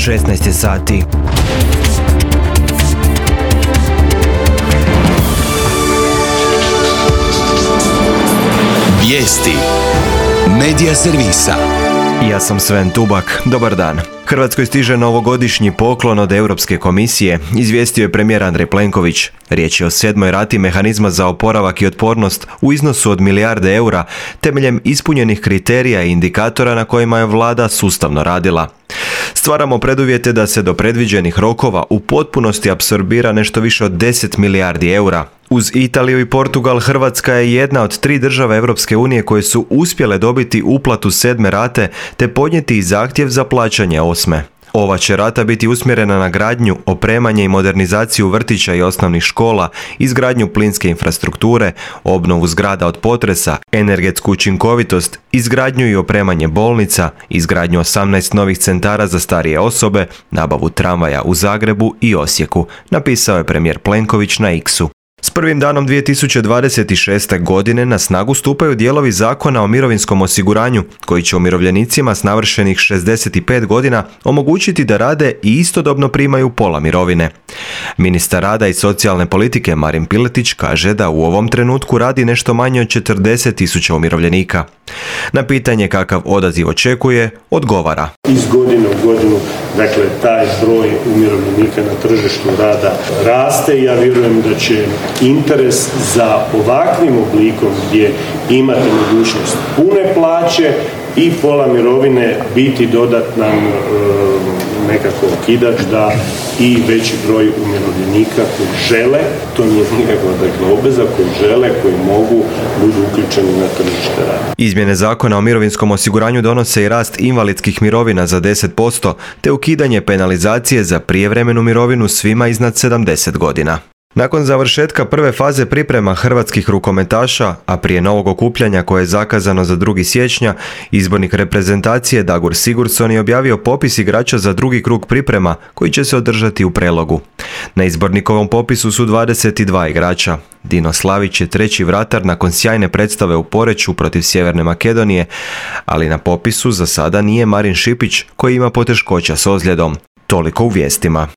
16 je sati. Vijesti Medija servisa. Ja sam Sven Tubak, dobar dan. Hrvatskoj stiže novogodišnji poklon od Europske komisije, izvijestio je premijer Andrej Plenković. Riječ je o 7. rati mehanizma za oporavak i otpornost u iznosu od milijarde eura, temeljem ispunjenih kriterija i indikatora na kojima je vlada sustavno radila. Stvaramo preduvjete da se do predviđenih rokova u potpunosti apsorbira nešto više od 10 milijardi eura. Uz Italiju i Portugal, Hrvatska je jedna od 3 države Europske unije koje su uspjele dobiti uplatu 7. rate te podnijeti zahtjev za plaćanje 8. Ova će rata biti usmjerena na gradnju, opremanje i modernizaciju vrtića i osnovnih škola, izgradnju plinske infrastrukture, obnovu zgrada od potresa, energetsku učinkovitost, izgradnju i opremanje bolnica, izgradnju 18 novih centara za starije osobe, nabavu tramvaja u Zagrebu i Osijeku, napisao je premijer Plenković na X-u. S prvim danom 2026. godine na snagu stupaju dijelovi Zakona o mirovinskom osiguranju, koji će umirovljenicima s navršenih 65 godina omogućiti da rade i istodobno primaju pola mirovine. Ministar rada i socijalne politike Marin Piletić kaže da u ovom trenutku radi nešto manje od 40.000 umirovljenika. Na pitanje kakav odaziv očekuje, odgovara. Iz godine u godinu, dakle, taj broj umirovljenika na tržištu rada raste i ja vjerujem da će interes za ovakvim oblikom gdje imate mogućnost pune plaće i pola mirovine biti dodatan nekako okidač da i veći broj umirovljenika koji žele, to nije nikakva obveza, koji žele, koji mogu, budu uključeni na tržište rada. Izmjene Zakona o mirovinskom osiguranju donose i rast invalidskih mirovina za 10%, te ukidanje penalizacije za prijevremenu mirovinu svima iznad 70 godina. Nakon završetka prve faze priprema hrvatskih rukometaša, a prije novog okupljanja koje je zakazano za 2. siječnja, izbornik reprezentacije Dagur Sigurdsson je objavio popis igrača za drugi krug priprema koji će se održati u Prelogu. Na izbornikovom popisu su 22 igrača. Dino Slavić je 3. vratar nakon sjajne predstave u Poreču protiv Sjeverne Makedonije, ali na popisu za sada nije Marin Šipić koji ima poteškoća s ozljedom. Toliko u vijestima.